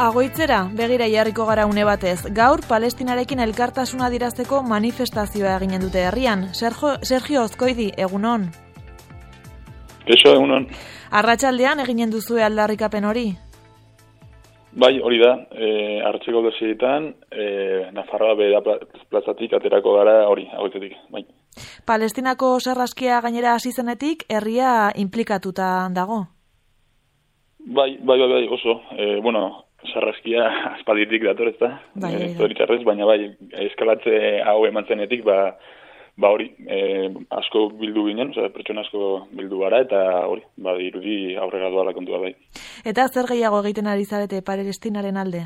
Agoitzera, begira jarriko gara une batez. Gaur, Palestinarekin elkartasuna adierazteko manifestazioa eginen dute herrian. Sergio Azkoidi, egunon. Keixo, egunon. Arratsaldean eginen duzue aldarrikapen hori? Bai, hori da. Arratseko desietan, Nafarroa bera plazatik aterako gara hori, agoitzetik. Bai. Palestinako sarraskia gainera hasi zenetik, herria inplikatuta dago? Bai, oso. Sarraskia aspalditik dator, ez da? Zoritxarrez, baina bai, eskalatze hau eman zenetik, hori, asko bildu ginen, pertsona asko bildu gara, eta hori, dirudi aurrera doala kontua bai. Eta zer gehiago egiten ari zarete Palestinaren alde?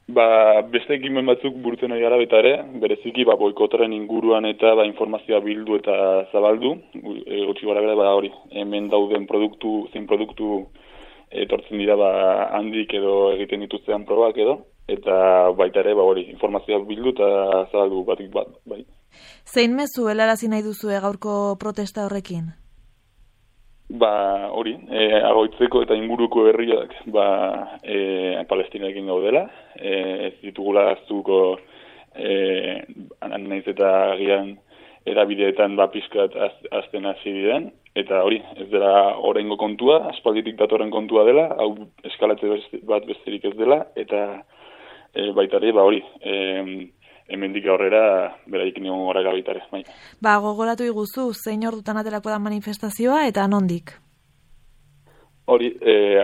Beste ekimen batzuk burutzen ari gara baita ere, bereziki boikotaren inguruan eta informazioa bildu eta zabaldu, gutxi gara bera, hori, hemen dauden zein produktu etortzen dira handik edo egiten dituztean probak edo, eta baita ere, hori, informazioa bildu eta zabaldu batik bat, bai. Zein mezu helarazi nahi duzue gaurko protesta horrekin? Hori, Agoitzeko eta inguruko herriak Palestinarekin gaudela, ez ditugula aztuko nahiz eta agian erabideetan pizkat azten hasi diren, eta hori, ez dela oraingo kontua, aspalditik datorren kontua dela, hau eskalatze bat besterik ez dela, eta baita ere, hori, hemendik aurrera beraiekin egon gara gaitare. Bai. Gogoratu iguzu, zein ordutan aterako da manifestazioa eta nondik? Hori,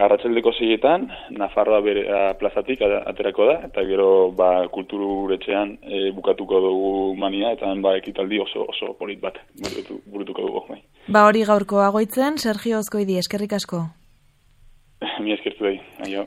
arratsaldeko 6etan, Nafarroa bera plazatik aterako da, eta gero kulturetxean bukatuko dugu mania, eta ekitaldi oso polit bat burutuko dugu. Bai. Hori gaurko Agoitzen, Sergio Azkoidi, eskerrik asko. Mi eskertu dahi, aio.